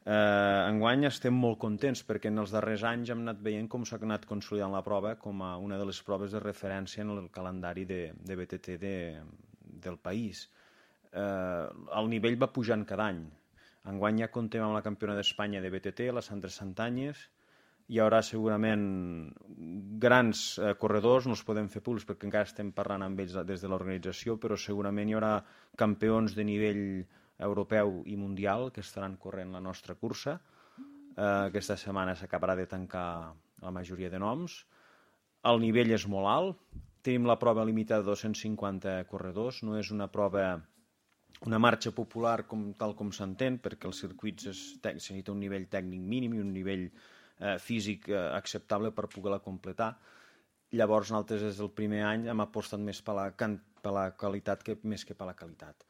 Enguany estem molt contents perquè en els darrers anys hem anat veient com s'ha anat consolidant la prova com a una de les proves de referència en el calendari de BTT del país. El nivell va pujant cada any. Enguany ja comptem amb la campiona d'Espanya de BTT, la Sandra Santanyes. Hi haurà segurament grans corredors, no els podem fer públics perquè encara estem parlant amb ells des de l'organització, però segurament hi haurà campions de nivell europeu i mundial que estaran corrent la nostra cursa. Aquesta setmana s'acabarà de tancar la majoria de noms. El nivell és molt alt. Tenim la prova limitada de 250 corredors. No és una prova, una marxa popular tal com s'entén, perquè els circuits se necessita un nivell tècnic mínim i un nivell físic acceptable per poder-la completar. Llavors nosaltres des del primer any hem apostat més per la qualitat més que per la qualitat.